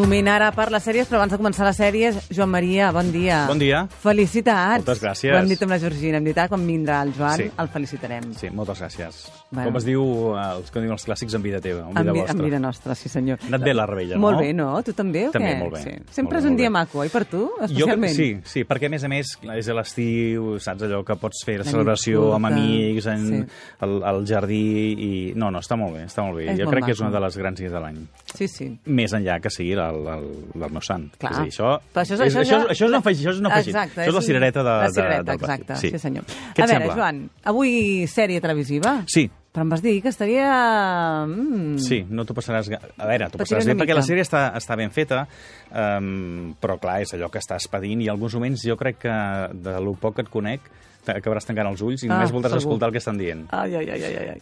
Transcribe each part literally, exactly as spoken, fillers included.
moment ara per les sèries, però abans de començar les sèries, Joan Maria, bon dia. Bon dia. Felicitats. Moltes gràcies. Ho hem dit amb la Georgina, hem dit, ah, quan vindrà el Joan, Sí. el felicitarem. Sí, moltes gràcies. Bueno. Com es diu, els, com diuen els clàssics, en vida teva, en En, vida vi- vostra. en vida nostra, sí senyor. Ha anat bé la rebella, no? Molt bé, no? Tu també, o També, què? molt bé. Sí. Molt Sempre bé, és un molt dia bé. maco, oi, per tu, Jo, especialment? sí, sí, perquè a més a més és a l'estiu, saps allò que pots fer la nit celebració amb curta, amics, en, sí. al, al jardí, i no, no, està molt bé, està molt bé. És jo molt crec que és maco. una de les grans dies de l'any. Sí, sí. Més enllà que sigui el, el, el meu sant. Clar. És a dir, això, Però això, és, això, això, ja- això és un afegit. Això és, un afegit. Exacte, això és la cirereta de, la de, cirereta, del pastís. exacte, sí, senyor. Què A et veure, sembla? Joan, avui sèrie televisiva? Sí. Però em vas dir que estaria... Mm. Sí, no t'ho passaràs... ga- A veure, t'ho Patiré passaràs una bé perquè mica. la sèrie està, està ben feta, um, però clar, és allò que estàs pedint i en alguns moments jo crec que de lo poc que et conec acabaràs tancant els ulls i Ah, només voldràs segur. escoltar el que estan dient. Ai, ai, ai, ai, ai.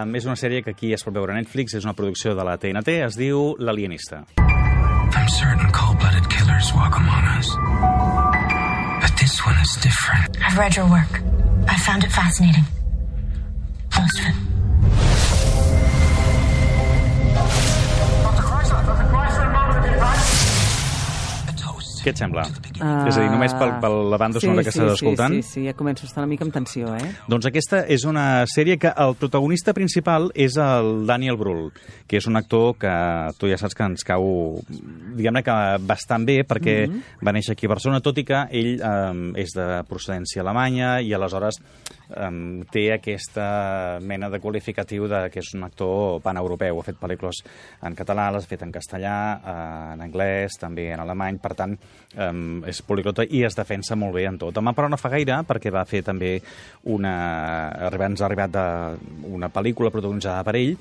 Um, és una sèrie que aquí es pot veure a Netflix, és una producció de la T N T, es diu L'Alienista. I'm certain cold-blooded killers walk among us. But this one is different. I've read your work. I found it fascinating. Most of it. A toast. Què et sembla? Ah, És a dir, només pel, per la banda sonora que estàs escoltant? Sí, sí, sí, ja començo a estar una mica amb tensió, eh? Doncs aquesta és una sèrie que el protagonista principal és el Daniel Brühl, que és un actor que tu ja saps que ens cau, diguem-ne que bastant bé, perquè mm -hmm. va néixer aquí a Barcelona, tot i que ell eh, és de procedència alemanya i aleshores eh, té aquesta mena de qualificatiu de que és un actor paneuropeu. Ha fet pel·lícules en català, les ha fet en castellà, eh, en anglès, també en alemany, per tant, eh, és poliglota i es defensa molt bé en tot. Demà, però, no fa gaire, perquè va fer també una... Ens ha arribat de... una pel·lícula protagonitzada per ell,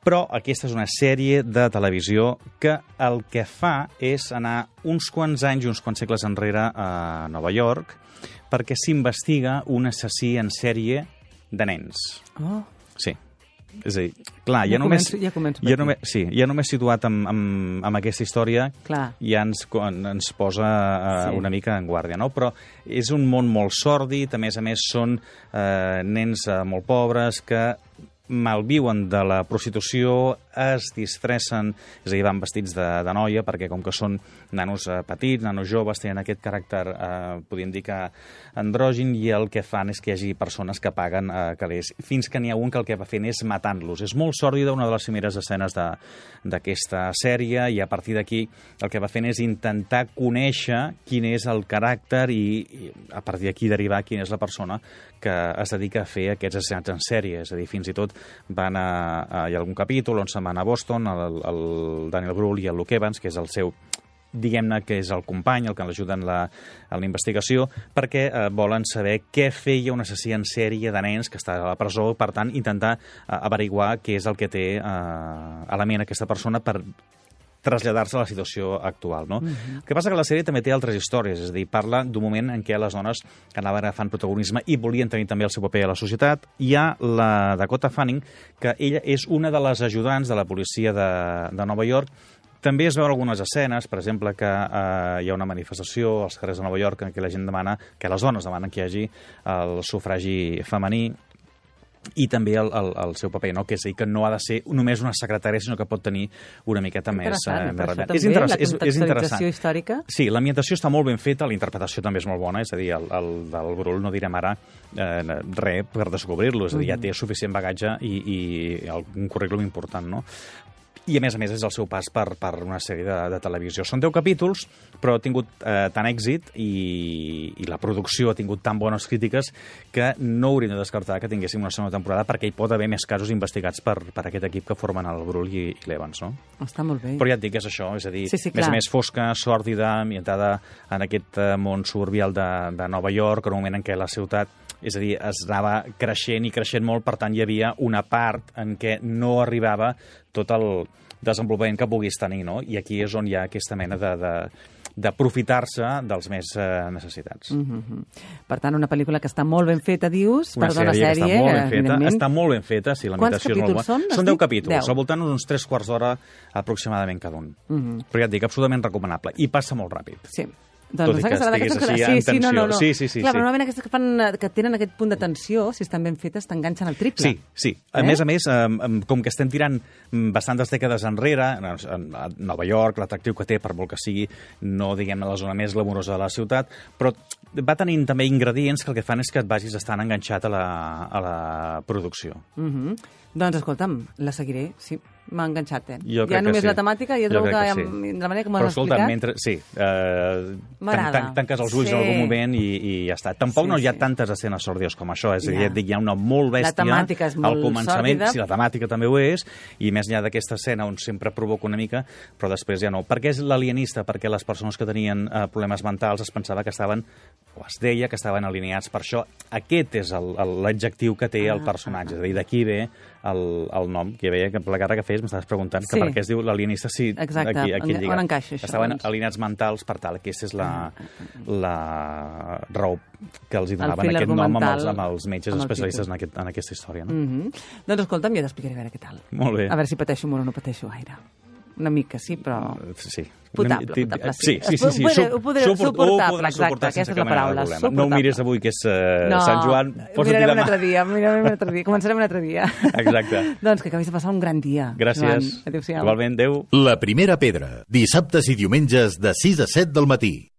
però aquesta és una sèrie de televisió que el que fa és anar uns quants anys i uns quants segles enrere a Nova York perquè s'investiga un assassí en sèrie de nens. Oh, Sí. És a dir, clar, ja, Ja només... començo- ja començo per ja aquí. només, sí, ja només situat amb, amb, amb aquesta història Clar. ja ens, ens posa eh, Sí. una mica en guàrdia, no? Però és un món molt sòrdid, a més a més són eh, nens eh, molt pobres que malviuen de la prostitució, es disfressen, és a dir, van vestits de, de noia, perquè com que són nanos eh, petits, nanos joves, tenen aquest caràcter, eh, podríem dir que andrògin, i el que fan és que hi hagi persones que paguen eh, calés, fins que n'hi ha un que el que va fent és matant-los. És molt sòrdida, una de les primeres escenes de- d'aquesta sèrie, i a partir d'aquí el que va fent és intentar conèixer quin és el caràcter i, i a partir d'aquí derivar quina és la persona que es dedica a fer aquests assassinats en sèrie. És a dir, fins i tot van a, a, hi ha algun capítol on se'n van a Boston, el, el Daniel Brühl i el Luke Evans, que és el seu, diguem-ne que és el company, el que l'ajuda en la, en la investigació, perquè eh, volen saber què feia un assassí en sèrie de nens que està a la presó, per tant, intentar eh, averiguar què és el que té eh, a la ment aquesta persona per traslladar-se a la situació actual, no? Mhm. El que passa que la sèrie també té altres històries, és a dir, parla d'un moment en què les dones anaven agafant protagonisme i volien tenir també el seu paper a la societat. Hi ha la Dakota Fanning, que ella és una de les ajudants de la policia de, de Nova York. També es veuen algunes escenes, per exemple, que eh, hi ha una manifestació als carrers de Nova York en què la gent demana, que les dones demanen que hi hagi el sufragi femení, i també el, el, el seu paper, no? Que és a dir, que no ha de ser només una secretària, sinó que pot tenir una miqueta més, Interessant, eh, més però això rellevant. també, És, interessa- la és, és contextualització interessant. històrica. Sí, l'ambientació està molt ben feta, la interpretació també és molt bona, és a dir, el, el del Brühl no direm ara eh, res per descobrir-lo, és a dir, ja té suficient bagatge i, i un currículum important, no? I, a més a més, és el seu pas per, per una sèrie de, de televisió. Són deu capítols, però ha tingut eh, tant èxit i, i la producció ha tingut tan bones crítiques que no hauríem de descartar que tinguéssim una segona temporada, perquè hi pot haver més casos investigats per, per aquest equip que formen el Brühl i, i l'Evans, no? Està molt bé. Però ja et dic que és això, és a dir, Sí, sí, més clar. a més fosca, sòrdida, ambientada en aquest eh, món suburbial de, de Nova York, en un moment en què la ciutat, és a dir, es anava creixent i creixent molt, per tant hi havia una part en què no arribava tot el desenvolupament que puguis tenir, no? I aquí és on hi ha aquesta mena de, de, d'aprofitar-se dels més eh, necessitats. Mm -hmm. Per tant, una pel·lícula que està molt ben feta, dius, Una perdona, sèrie, sèrie, que està molt ben feta, evidentment. està molt ben feta, sí, la Quants imitació és molt bona. capítols són, has Són deu dit? capítols, Deu. al voltant d'uns tres quarts d'hora aproximadament cada un. Mm -hmm. Però ja et dic, absolutament recomanable. I passa molt ràpid. Sí. Doncs tot i que que serà estiguis d'aquestes així que... en sí, sí, no, no, tensió. no. Sí, sí, sí. Clar, sí. però normalment aquestes que, fan, que tenen aquest punt de tensió, si estan ben fetes, t'enganxen al triple. Sí, sí. A Eh? més a més, eh, com que estem tirant bastantes dècades enrere, a Nova York, l'atractiu que té, per molt que sigui, no diguem la zona més glamurosa de la ciutat, però va tenint també ingredients que el que fan és que et vagis estant enganxat a la, a la producció. Mm -hmm. Doncs escolta'm, la seguiré, sí. M'ha enganxat, eh? Jo ja crec només que sí. la temàtica, ja Jo trobo que, crec que que sí. de la manera que m'ho Però has escolta, explicat... mentre... Sí, eh, M'agrada. tan, tan, tanques els ulls Sí. en algun moment i, i ja està. Tampoc Sí, no hi ha sí. tantes escenes sòrdies com això, és a dir, Ja. ja et dic, hi ha una molt bèstia... La temàtica és molt al començament, sòrdida. sí, la temàtica també ho és, i més enllà d'aquesta escena on sempre provoca una mica, però després ja no. Per què és l'alienista? Perquè les persones que tenien eh, problemes mentals es pensava que estaven, o es deia que estaven alineats. Per això aquest és el- el- l'adjectiu que té el personatge, és a dir, d'aquí ve el, el nom, que veia que per la cara que feies m'estaves preguntant que Sí. per què es diu l'alienista, sí, Exacte. aquí, aquí On- lligat. on encaixa això, Estaven doncs? alineats mentals per tal, aquesta és la, la raó que els hi El donaven fil aquest nom amb els, argumental amb els metges amb el especialistes tipus. en, aquest, en aquesta història. No? Mm -hmm. Doncs escolta'm, jo t'explicaré a veure què tal. Molt bé. A veure si pateixo molt o no pateixo gaire. Una mica, sí, però... Sí. Potable, Ti- potable, sí. sí. Sí, sí, sí. Ho podré- Sup- ho podré- suport- suportable, ho podràs exacte, suportar sense aquesta és la cap mena de paraula, problema. No ho suportable. miris avui, que és uh, Sant Joan. ho Posa-t'hi mirarem un demà. altre dia, ho mirarem un altre dia. Començarem un altre dia. Exacte. Doncs que acabis de passar un gran dia. Gràcies. Joan. Adéu-siau. Igualment, adéu. La primera pedra, dissabtes i diumenges de sis a set del matí.